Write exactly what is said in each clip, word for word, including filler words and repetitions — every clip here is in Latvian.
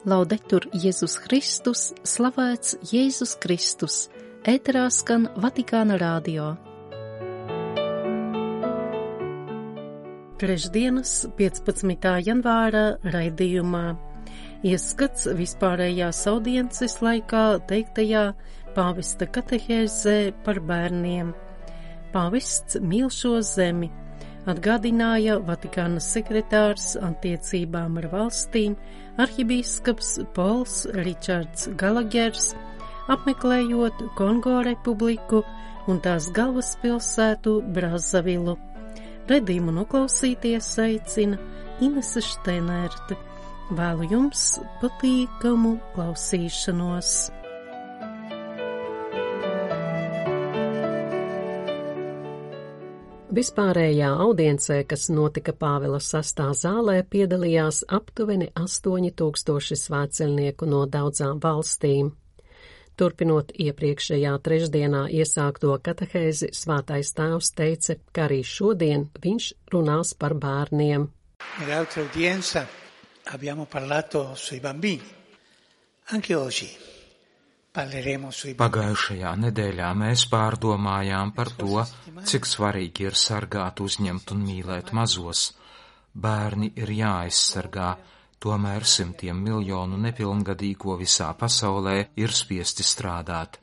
Laudetur Jēzus Kristus, slavēts Jēzus Kristus, ēterā skan Vatikāna radio. Trešdienas, piecpadsmitā janvāra raidījumā ieskats vispārējās audiences laikā teiktajā pāvesta katehēzē par bērniem. Pāvests mīl šo zemi, atgādināja Vatikāna sekretārs attiecībām ar valstīm arhibīskaps Pols Ričards Galagers, apmeklējot Kongo republiku un tās galvaspilsētu Brazavilu. Redījumu noklausīties aicina Inese Šteinerte. Vēlu jums patīkamu klausīšanos. Vispārējā audiencē, kas notika Pāvila sastā zālē, piedalījās aptuveni astoņi tūkstoši svētceļnieku no daudzām valstīm. Turpinot iepriekšējā trešdienā iesākto katehēzi, Svētais Tēvs teica, ka arī šodien viņš runās par bērniem. Nell'altra udienza abbiamo parlato sui bambini. Anche oggi parleremo sui bambini. Pagājušajā nedēļā mēs pārdomājām par to, cik svarīgi ir sargāt, uzņemt un mīlēt mazos. Bērni ir jāaizsargā. Tomēr simtiem miljonu nepilngadīgo visā pasaulē ir spiesti strādāt.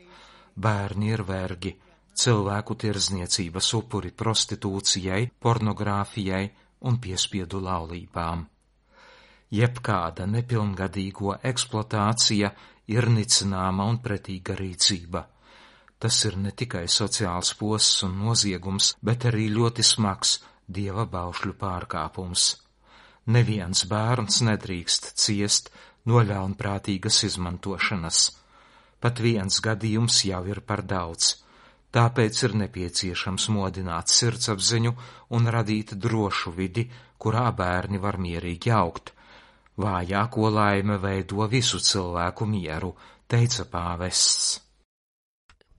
Bērni ir vergi, cilvēku tirdzniecības upuri prostitūcijai, pornogrāfijai un piespiedu laulībām. Jebkāda nepilngadīgo eksploatācija ir nicināma un pretīga rīcība. Tas ir ne tikai sociāls posts un noziegums, bet arī ļoti smags Dieva baušļu pārkāpums. Neviens bērns nedrīkst ciest no ļaunprātīgas izmantošanas. Pat viens gadījums jau ir par daudz, tāpēc ir nepieciešams modināt sirdsapziņu un radīt drošu vidi, kurā bērni var mierīgi augt. Vājāko laime veido visu cilvēku mieru, teica pāvests.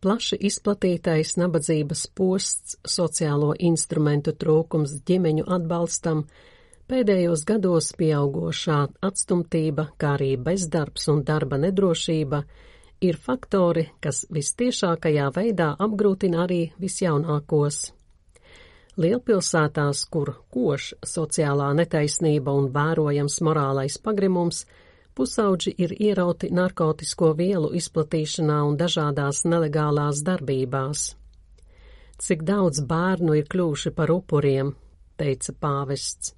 Plaši izplatītais nabadzības posts, sociālo instrumentu trūkums ģimeņu atbalstam, pēdējos gados pieaugošā atstumtība, kā arī bezdarbs un darba nedrošība, ir faktori, kas vistiešākajā veidā apgrūtina arī visjaunākos. Lielpilsētās, kur koš sociālā netaisnība un vērojams morālais pagrimums, pusauģi ir ierauti narkotisko vielu izplatīšanā un dažādās nelegālās darbībās. Cik daudz bērnu ir kļuvuši par upuriem, teica pāvests.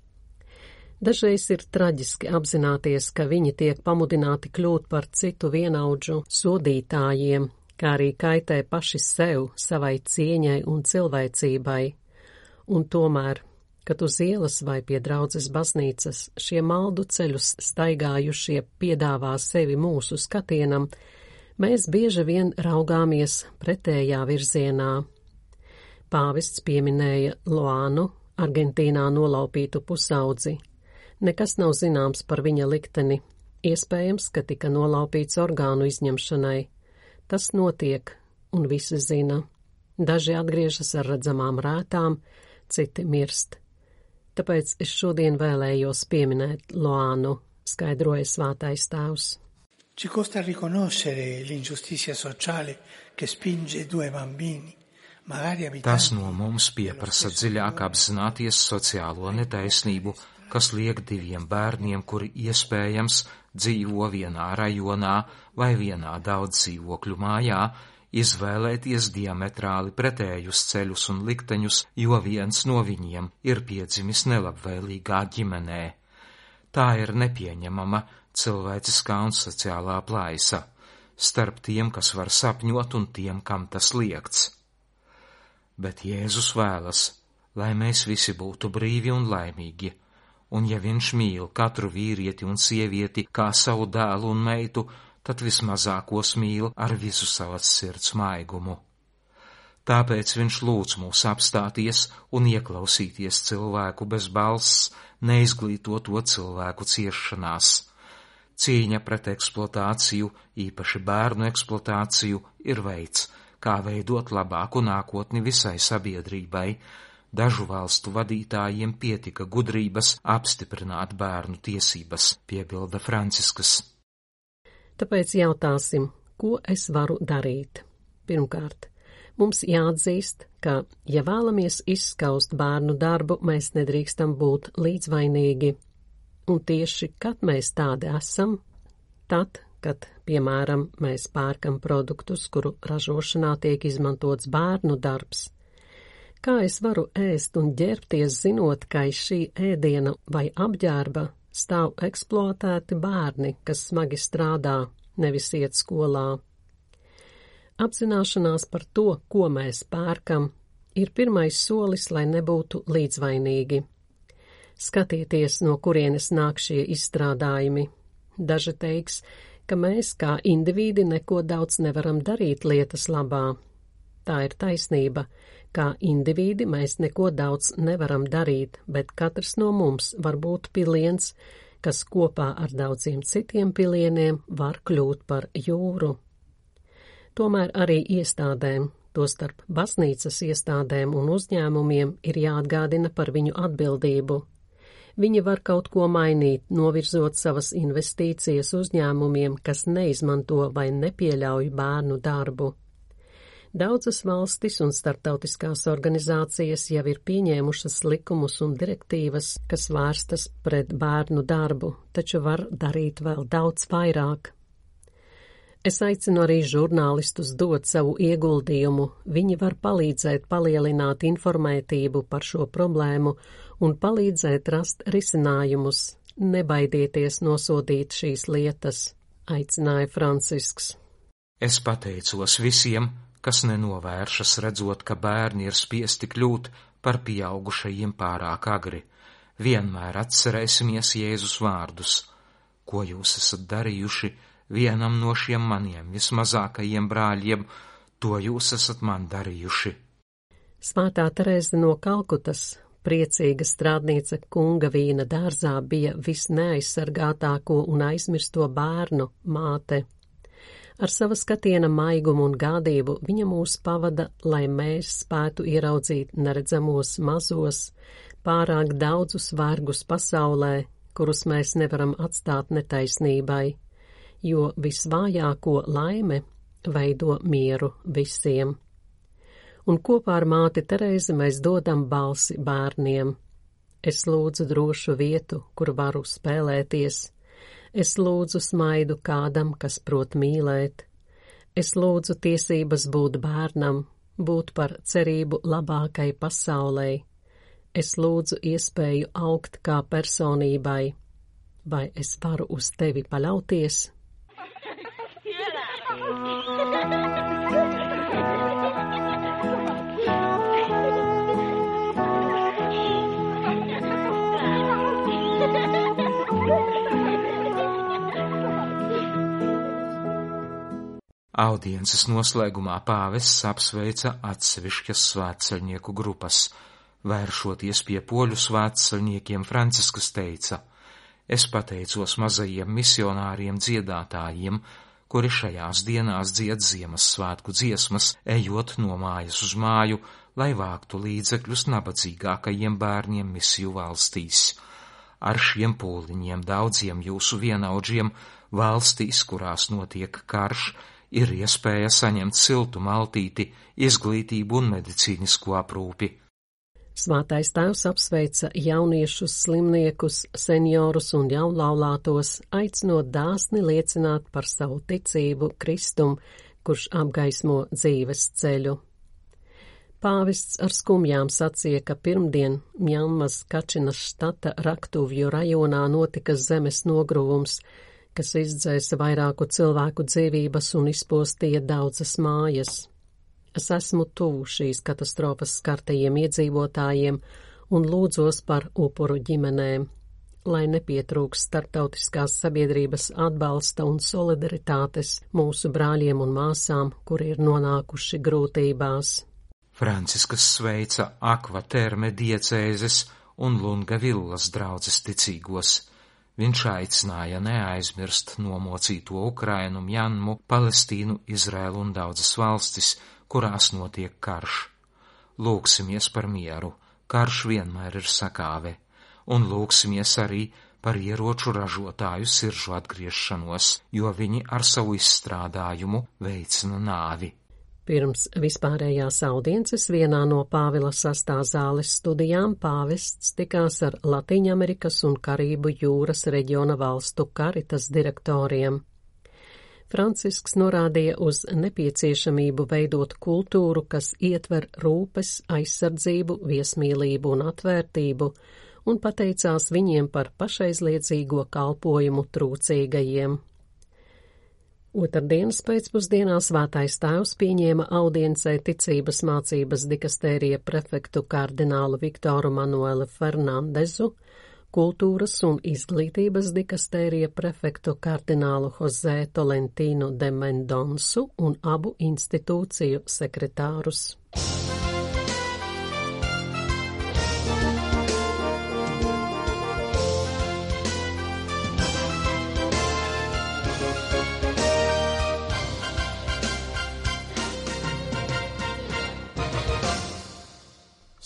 Dažreiz ir traģiski apzināties, ka viņi tiek pamudināti kļūt par citu vienaudžu sodītājiem, kā arī kaitē paši sev, savai cieņai un cilvēcībai. Un tomēr, kad uz ielas vai pie draudzes baznīcas šie maldu ceļus staigājušie piedāvā sevi mūsu skatienam, mēs bieži vien raugāmies pretējā virzienā. Pāvests pieminēja Loānu, Argentīnā nolaupītu pusaudzi. Nekas nav zināms par viņa likteni. Iespējams, ka tika nolaupīts orgānu izņemšanai. Tas notiek, un visi zina. Daži atgriežas ar redzamām rētām, citi mirst. Tāpēc es šodien vēlējos pieminēt Loānu, skaidroja Svētais Tēvs. Ci costa riconoscere l'ingiustizia sociale che spinge due bambini. Tas no mums pieprasa dziļāk apzināties sociālo netaisnību, kas liek diviem bērniem, kuri iespējams dzīvo vienā rajonā vai vienā daudz dzīvokļu mājā, izvēlēties diametrāli pretējus ceļus un likteņus, jo viens no viņiem ir piedzimis nelabvēlīgā ģimenē. Tā ir nepieņemama cilvēciskā un sociālā plaisa starp tiem, kas var sapņot, un tiem, kam tas liegts. Bet Jēzus vēlas, lai mēs visi būtu brīvi un laimīgi, un ja viņš mīl katru vīrieti un sievieti kā savu dēlu un meitu, tad vismazākos mīl ar visu savas sirds maigumu. Tāpēc viņš lūdz mūs apstāties un ieklausīties cilvēku bez balss, neizglītoto cilvēku ciešanās. Cīņa pret eksploatāciju, īpaši bērnu eksploatāciju, ir veids, kā veidot labāku nākotni visai sabiedrībai. Dažu valstu vadītājiem pietika gudrības apstiprināt bērnu tiesības, piebilda Franciskas. Tāpēc jautāsim, ko es varu darīt? Pirmkārt, mums jāatzīst, ka, ja vēlamies izskaust bērnu darbu, mēs nedrīkstam būt līdzvainīgi. Un tieši, kad mēs tādi esam, tad, kad, piemēram, mēs pērkam produktus, kuru ražošanā tiek izmantots bērnu darbs. Kā es varu ēst un ģērbties, zinot, ka aiz šī ēdiena vai apģērba stāv eksploatēti bērni, kas smagi strādā, nevis iet skolā? Apzināšanās par to, ko mēs pērkam, ir pirmais solis, lai nebūtu līdzvainīgi. Skatieties, no kurienes nāk šie izstrādājumi. Daži teiks, ka mēs kā indivīdi neko daudz nevaram darīt lietas labā. Tā ir taisnība. Kā indivīdi mēs neko daudz nevaram darīt, bet katrs no mums var būt piliens, kas kopā ar daudziem citiem pilieniem var kļūt par jūru. Tomēr arī iestādēm, tostarp baznīcas iestādēm un uzņēmumiem, ir jāatgādina par viņu atbildību. Viņi var kaut ko mainīt, novirzot savas investīcijas uzņēmumiem, kas neizmanto vai nepieļauj bērnu darbu. Daudzas valstis un starptautiskās organizācijas jau ir pieņēmušas likumus un direktīvas, kas vērstas pret bērnu darbu, taču var darīt vēl daudz vairāk. Es aicinu arī žurnālistus dot savu ieguldījumu. Viņi var palīdzēt palielināt informētību par šo problēmu un palīdzēt rast risinājumus. Nebaidieties nosodīt šīs lietas, aicināja Francisks. Es pateicos visiem, kas nenovēršas redzot, ka bērni ir spiesti kļūt par pieaugušajiem pārāk agri. Vienmēr atcerēsimies Jēzus vārdus. Ko jūs esat darījuši vienam no šiem maniem vismazākajiem brāļiem, to jūs esat man darījuši. Svētā Terēze no Kalkutas, priecīga strādniece Kunga vīna dārzā, bija visneaizsargātāko un aizmirsto bērnu māte. Ar sava skatiena maigumu un gādību viņa mūs pavada, lai mēs spētu ieraudzīt neredzamos mazos, pārāk daudzus vergus pasaulē, kurus mēs nevaram atstāt netaisnībai, jo visvājāko laime veido mieru visiem. Un kopā ar māti Terēzi mēs dodam balsi bērniem. Es lūdzu drošu vietu, kur varu spēlēties. Es lūdzu smaidu kādam, kas prot mīlēt. Es lūdzu tiesības būt bērnam, būt par cerību labākai pasaulē. Es lūdzu iespēju augt kā personībai. Vai es varu uz tevi paļauties? Audiences noslēgumā pāvests apsveica atsevišķas svētceļnieku grupas. Vēršoties pie poļu svētceļniekiem, Francisks teica: Es pateicos mazajiem misionāriem dziedātājiem, kuri šajās dienās dzied Ziemassvētku dziesmas, ejot no mājas uz māju, lai vāktu līdzekļus nabadzīgākajiem bērniem misiju valstīs. Ar šiem pūliņiem daudziem jūsu vienaudžiem valstīs, kurās notiek karš, ir iespēja saņemt siltu maltīti, izglītību un medicīnisko aprūpi. Svētais Tēvs apsveica jauniešus, slimniekus, seniorus un jaunlaulātos, aicinot dāsni liecināt par savu ticību Kristum, kurš apgaismo dzīves ceļu. Pāvests ar skumjām sacīja, ka pirmdien Mjanmas Kačinas štata Raktuvju rajonā notika zemes nogruvums, kas izdzēsa vairāku cilvēku dzīvības un izpostīja daudzas mājas. Es esmu tuvu šīs katastrofas skartajiem iedzīvotājiem un lūdzos par upuru ģimenēm, lai nepietrūks starptautiskās sabiedrības atbalsta un solidaritātes mūsu brāļiem un māsām, kuri ir nonākuši grūtībās. Franciskas sveica Akva Terme diecēzes un Lunga Villas draudzes ticīgos. Viņš aicināja neaizmirst nomocīto Ukrainu, Mjanmu, Palestīnu, Izraēlu un daudzas valstis, kurās notiek karš. Lūksimies par mieru, karš vienmēr ir sakāve, un lūksimies arī par ieroču ražotāju siržu atgriešanos, jo viņi ar savu izstrādājumu veicina nāvi. Pirms vispārējās audiences vienā no Pāvila sastā zāles studijām pāvests tikās ar Latīņamerikas un Karību jūras reģiona valstu karitas direktoriem. Francisks norādīja uz nepieciešamību veidot kultūru, kas ietver rūpes, aizsardzību, viesmīlību un atvērtību, un pateicās viņiem par pašaizliedzīgo kalpojumu trūcīgajiem. Otrdienas pēcpusdienā Svētais Tēvs pieņēma audiencē ticības mācības dikastērija prefektu kardinālu Viktoru Manuelu Fernandezu, kultūras un izglītības dikastērija prefektu kardinālu José Tolentino de Mendonsu un abu institūciju sekretārus.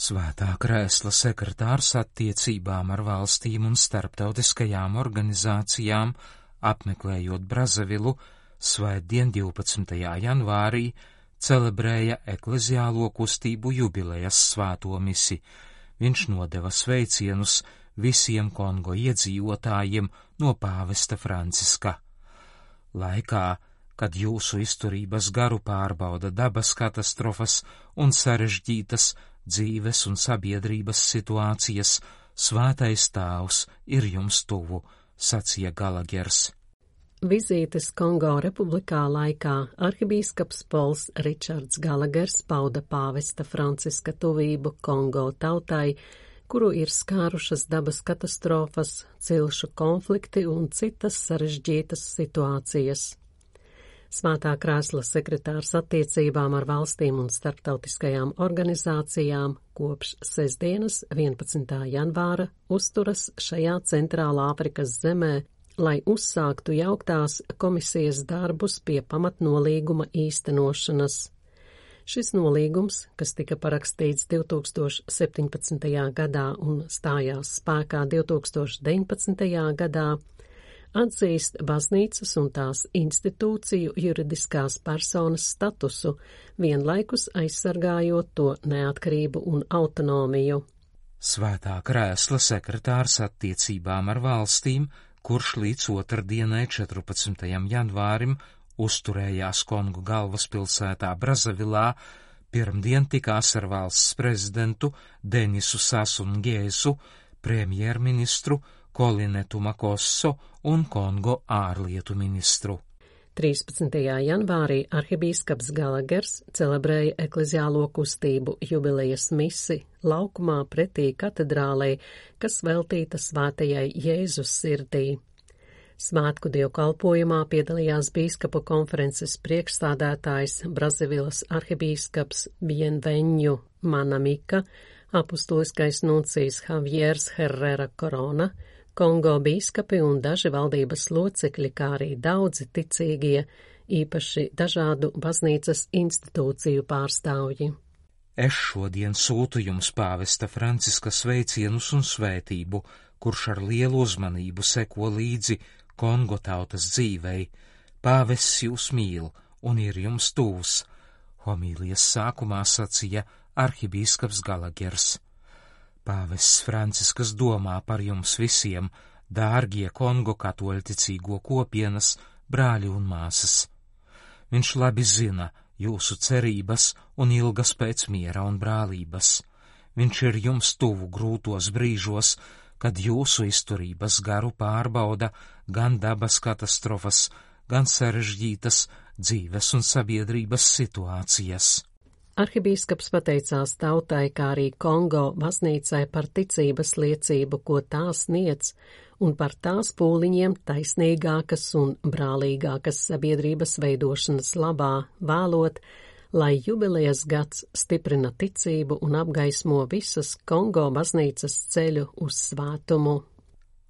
Svētā krēsla sekretārs attiecībām ar valstīm un starptautiskajām organizācijām, apmeklējot Brazavilu, svētdien divpadsmitajā janvārī celebrēja ekleziālo kustību jubilejas svēto misi. Viņš nodeva sveicienus visiem Kongo iedzīvotājiem no pāvesta Franciska. Laikā, kad jūsu izturības garu pārbauda dabas katastrofas un sarežģītas dzīves un sabiedrības situācijas, Svētais Tēvs ir jums tuvu, sacīja Galagers. Vizītes Kongo republikā laikā arhibīskaps Pols Ričards Galagers pauda pāvesta Franciska tuvību Kongo tautai, kuru ir skārušas dabas katastrofas, cilšu konflikti un citas sarežģītas situācijas. Svētā krēsla sekretārs attiecībām ar valstīm un starptautiskajām organizācijām kopš sestdienas vienpadsmitā janvāra uzturas šajā Centrālā Afrikas zemē, lai uzsāktu jauktās komisijas darbus pie pamatnolīguma īstenošanas. Šis nolīgums, kas tika parakstīts divtūkstoš septiņpadsmitajā gadā un stājās spēkā divtūkstoš deviņpadsmitajā gadā, atzīst baznīcas un tās institūciju juridiskās personas statusu, vienlaikus aizsargājot to neatkarību un autonomiju. Svētā krēsla sekretārs attiecībām ar valstīm, kurš līdz otrdienai četrpadsmitajam janvārim uzturējās Kongo galvaspilsētā Brazavilā, pirmdien tikās ar valsts prezidentu Denisu Sasu Ngēsu, premjerministru Kolinetu Makosso un Kongo ārlietu ministru. trīspadsmitajā janvārī arhibīskaps Galagers celebrēja ekleziālo kustību jubilejas misi laukumā pretī katedrālei, kas veltīta svētajai Jēzus sirdī. Svētku dievkalpojumā piedalījās bīskapu konferences priekšstādātājs Brazavilas arhibīskaps Bienveņu Manamika, apustuliskais nuncijs Javiers Herrera Corona, Kongo bīskapi un daži valdības locekļi, kā arī daudzi ticīgie, īpaši dažādu baznīcas institūciju pārstāvji. Es šodien sūtu jums pāvesta Franciska sveicienus un svētību, kurš ar lielu uzmanību seko līdzi Kongo tautas dzīvei. Pāvests jūs mīl un ir jums tuvs, homīlijas sākumā sacīja arhibīskaps Galagers. Pāvests Franciskas domā par jums visiem, dārgie Kongo katoļticīgo kopienas, brāļi un māsas. Viņš labi zina jūsu cerības un ilgas pēc miera un brālības. Viņš ir jums tuvu grūtos brīžos, kad jūsu izturības garu pārbauda gan dabas katastrofas, gan sarežģītas dzīves un sabiedrības situācijas. Arhibīskaps pateicās tautai, kā arī Kongo baznīcai par ticības liecību, ko tā sniedz, un par tās pūliņiem taisnīgākas un brālīgākas sabiedrības veidošanas labā, vēlot, lai jubilejas gads stiprina ticību un apgaismo visas Kongo baznīcas ceļu uz svētumu.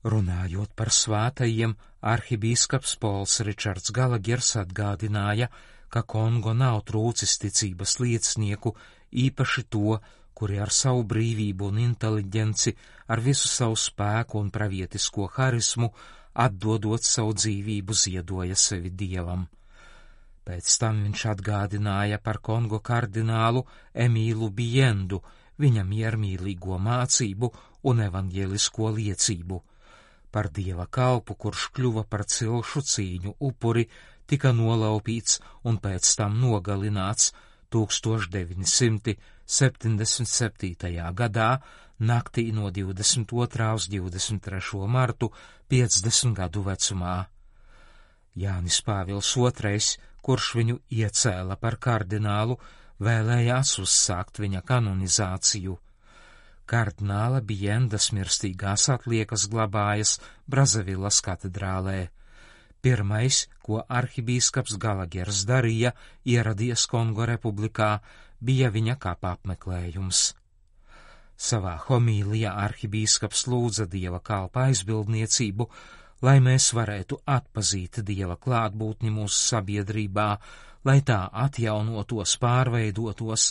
Runājot par svētajiem, arhibīskaps Pols Ričards Galagers atgādināja, ka Kongo nav trūcis ticības liecinieku, īpaši to, kuri ar savu brīvību un inteliģenci, ar visu savu spēku un pravietisko harismu, atdodot savu dzīvību, ziedoja sevi Dievam. Pēc tam viņš atgādināja par Kongo kardinālu Emīlu Biendu, viņa miermīlīgo mācību un evaņģēlisko liecību. Par Dieva kalpu, kurš kļuva par cilšu cīņu upuri, tika nolaupīts un pēc tam nogalināts tūkstoš deviņi simti septiņdesmit septītajā gadā, naktī no divdesmit otrā uz divdesmit trešo martu, piecdesmit gadu vecumā. Jānis Pāvils otrais, kurš viņu iecēla par kardinālu, vēlējās uzsākt viņa kanonizāciju. Kardināla Biendas mirstīgās atliekas glabājas Brazavilas katedrālē. Pirmais, ko arhibīskaps Galagers darīja, ieradies Kongo republikā, bija viņa kapa apmeklējums. Savā homīlijā arhibīskaps lūdza Dieva kalpa aizbildniecību, lai mēs varētu atpazīt Dieva klātbūtni mūsu sabiedrībā, lai tā atjaunotos, pārveidotos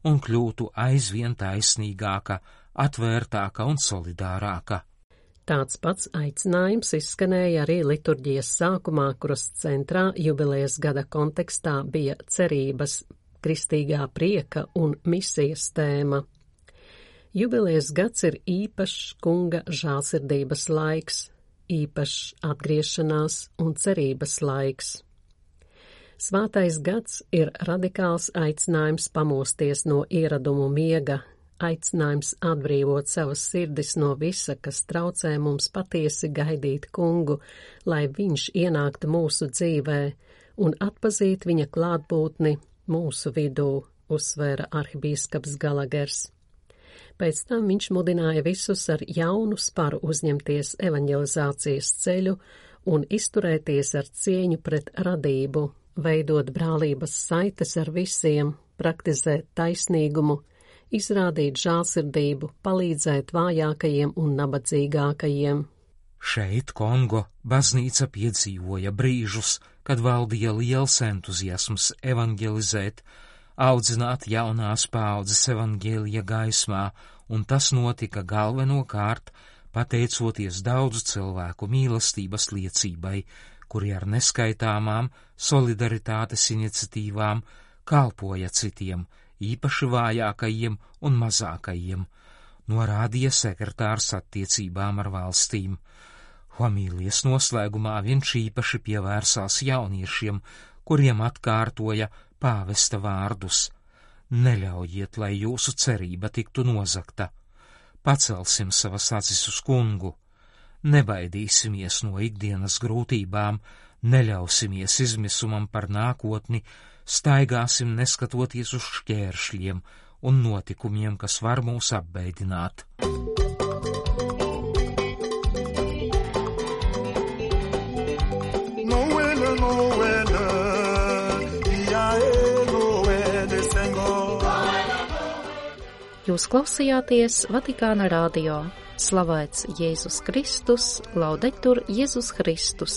un kļūtu aizvien taisnīgāka, atvērtāka un solidārāka. Tāds pats aicinājums izskanēja arī liturģijas sākumā, kuras centrā jubilejas gada kontekstā bija cerības, kristīgā prieka un misijas tēma. Jubilejas gads ir īpašs kunga žālsirdības laiks, īpašs atgriešanās un cerības laiks. Svētais gads ir radikāls aicinājums pamosties no ieradumu miega, aicinājums atbrīvot savas sirdis no visa, kas traucē mums patiesi gaidīt kungu, lai viņš ienāktu mūsu dzīvē un atpazīt viņa klātbūtni mūsu vidū, uzsvēra arhibīskaps Galagers. Pēc tam viņš mudināja visus ar jaunu sparu uzņemties evaņģelizācijas ceļu un izturēties ar cieņu pret radību, veidot brālības saites ar visiem, praktizēt taisnīgumu, izrādīt žālsirdību, palīdzēt vājākajiem un nabadzīgākajiem. Šeit Kongo baznīca piedzīvoja brīžus, kad valdīja liels entuziasms evaņģelizēt, audzināt jaunās paaudzes evaņģēlija gaismā, un tas notika galvenokārt pateicoties daudzu cilvēku mīlestības liecībai, kuri ar neskaitāmām solidaritātes iniciatīvām kalpoja citiem, īpaši vājākajiem un mazākajiem, norādīja sekretārs attiecībām ar valstīm. Homīlijas noslēgumā viņš īpaši pievērsās jauniešiem, kuriem atkārtoja pāvesta vārdus: neļaujiet, lai jūsu cerība tiktu nozagta. Pacelsim savas acis uz kungu. Nebaidīsimies no ikdienas grūtībām, neļausimies izmisumam par nākotni, staigāsim neskatoties uz šķēršļiem un notikumiem, kas var mūs apbeidināt. Jūs klausījāties Vatikāna radio. Slavēts Jēzus Kristus, laudetur Jēzus Kristus.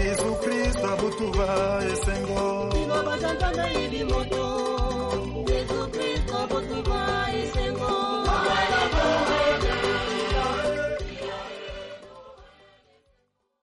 Jesu Kristo butuva esengo.